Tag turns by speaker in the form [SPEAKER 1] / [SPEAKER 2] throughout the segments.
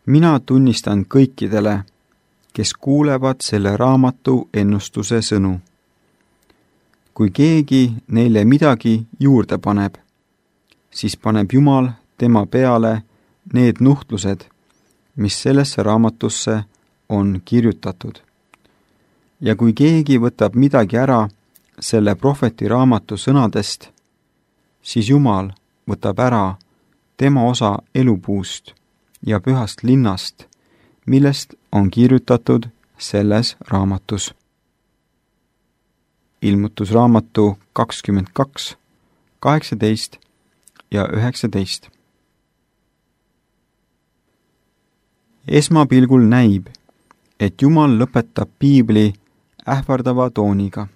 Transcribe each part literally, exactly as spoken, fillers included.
[SPEAKER 1] Mina tunnistan kõikidele, kes kuulevad selle raamatu ennustuse sõnu. Kui keegi neile midagi juurde paneb, siis paneb Jumal tema peale need nuhtlused, mis sellesse raamatusse on kirjutatud. Ja kui keegi võtab midagi ära selle prohveti raamatu sõnadest, siis Jumal võtab ära tema osa elupuust ja pühast linnast, millest on kirjutatud selles raamatus. Ilmutusraamatu kakskümmend kaks, kaheksateist ja üheksateist. Esmapilgul näib, et Jumal lõpetab piibli ähvardava tooniga.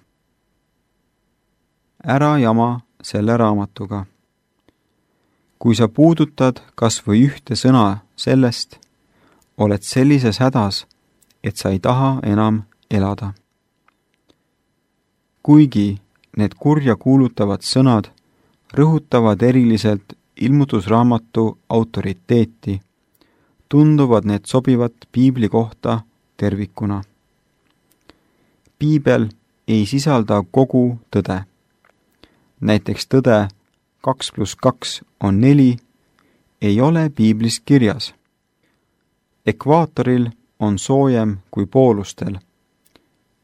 [SPEAKER 1] Ära jama selle raamatuga. Kui sa puudutad kas või ühte sõna sellest, oled sellises hädas, et sa ei taha enam elada. Kuigi need kurja kuulutavad sõnad rõhutavad eriliselt ilmutusraamatu autoriteeti, tunduvad need sobivat piibli kohta tervikuna. Piibel ei sisalda kogu tõde. Näiteks tõde kaks pluss kaks on neli, ei ole piiblis kirjas. Ekvaatoril on soojem kui poolustel.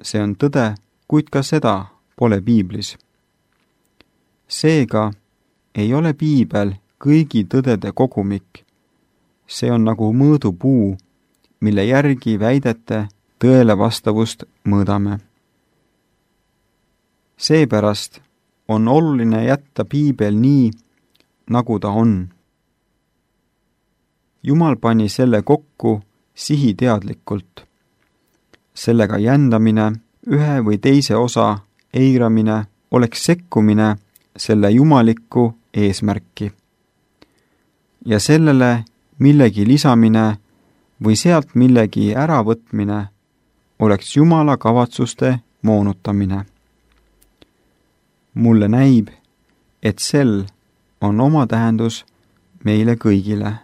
[SPEAKER 1] See on tõde, kuid ka seda pole piiblis. Seega ei ole piibel kõigi tõdede kogumik. See on nagu mõõdupuu, mille järgi väidete tõele vastavust mõõdame. Seepärast on oluline jätta piibel nii, nagu ta on. Jumal pani selle kokku sihiteadlikult. Sellega jändamine, ühe või teise osa eiramine oleks sekkumine selle jumalikku eesmärki. Ja sellele millegi lisamine või sealt millegi äravõtmine oleks Jumala kavatsuste moonutamine. Mulle näib, et sel on oma tähendus meile kõigile.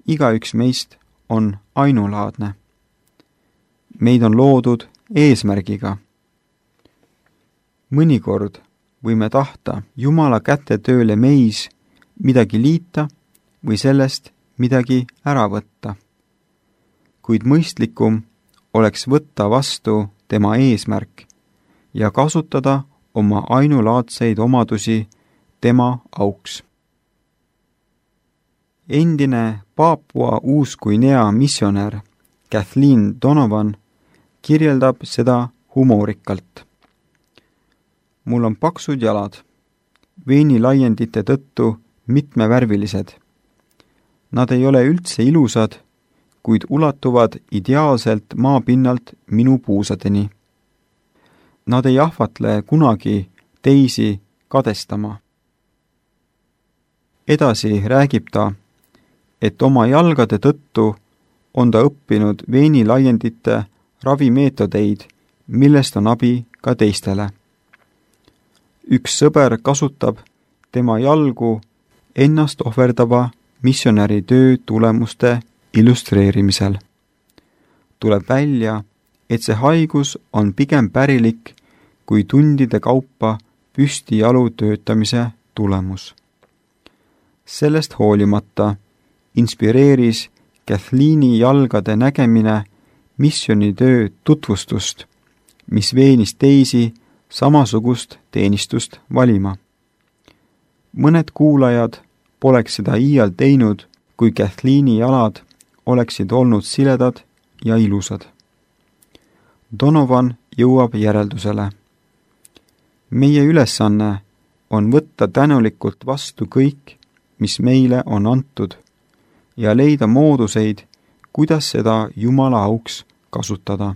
[SPEAKER 1] Igaüks meist on ainulaadne. Meid on loodud eesmärgiga. Mõnikord võime tahta Jumala käte tööle meis midagi liita või sellest midagi ära võtta. Kuid mõistlikum oleks võtta vastu tema eesmärk ja kasutada oma ainulaadseid omadusi tema auks. Endine Paapua Uus-Guinea missionär Kathleen Donovan kirjeldab seda humoorikalt. Mul on paksud jalad, veenilaiendite tõttu mitmevärvilised. Nad ei ole üldse ilusad, kuid ulatuvad ideaalselt maapinnalt minu puusadeni. Nad ei ahvatle kunagi teisi kadestama. Edasi räägib ta, et oma jalgade tõttu on ta õppinud veenilaiendite ravimeetodeid, millest on abi ka teistele. Üks sõber kasutab tema jalgu ennast ohverdava missionäri töö tulemuste illustreerimisel. Tuleb välja, et see haigus on pigem pärilik kui tundide kaupa püstijalu töötamise tulemus. Sellest hoolimata inspireeris Kathleeni jalgade nägemine missionitöö tutvustust, mis veenis teisi samasugust teenistust valima. Mõned kuulajad poleks seda iial teinud, kui Kathleeni jalad oleksid olnud siledad ja ilusad. Donovan jõuab järeldusele. Meie ülesanne on võtta tänulikult vastu kõik, mis meile on antud, ja leida mooduseid, kuidas seda Jumala auks kasutada.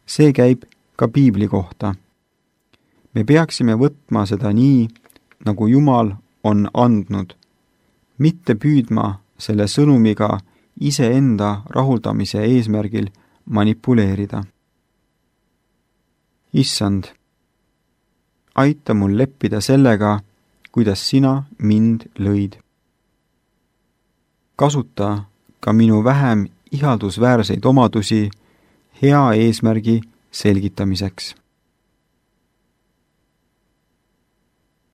[SPEAKER 1] See käib ka piibli kohta. Me peaksime võtma seda nii, nagu Jumal on andnud, mitte püüdma selle sõnumiga iseenda rahuldamise eesmärgil manipuleerida. Issand, aita mul leppida sellega, kuidas sina mind lõid. kasuta ka minu vähem ihaldusväärseid omadusi hea eesmärgi selgitamiseks.